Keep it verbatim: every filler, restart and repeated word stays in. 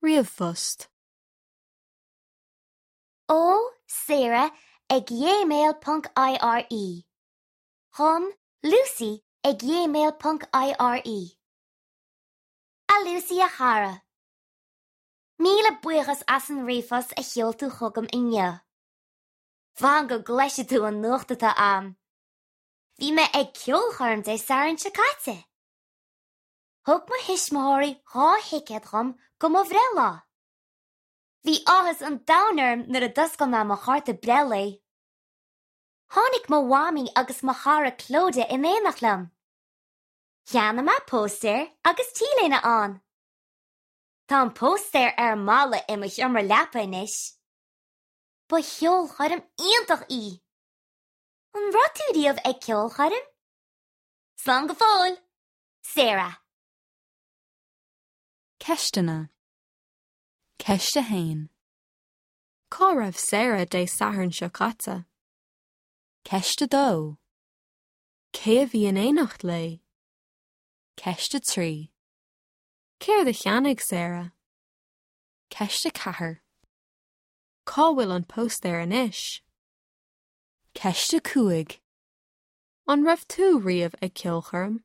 Ríomhphost. Ó Sarah ag gmail ponc IRE. Chun Lucy ag gmail ponc IRE. A Lucy a chara. Míle buíochas as an ríomhphost a sheol tú chugam inniu. Fan go gcloisfidh tú an nuacht atá agam. Bhí mé ag ceolchoirm Dé Sathairn seo caite. Thug mo thuismitheoirí dhá thicéad dhom do mo bhreithlá. Bhí áthas an domhain orm nuair a d'oscail mé mo chárta breithlae. Tháinig mo mhamaí agus mo chara Clodagh in éineacht liom. Cheannaigh mé póstaer agus T-léine ann. Tá an póstaer ar an mballa i mo sheomra leapa anois. Ba cheolchoirm iontach í. An raibh tú riamh ag ceolchoirm? Slán go fóill, Sarah. Ceisteanna. Ceist a haon. Cá raibh Sarah Dé Sathairn seo caite? Ceist a dó. Cé a bhí in éineacht léi? Ceist a trí. Céard a cheannaigh Sarah? Ceist a ceathair. Cá bhfuil an póstaer anois? Ceist a cúig. An raibh tú riamh ag ceolchoirm?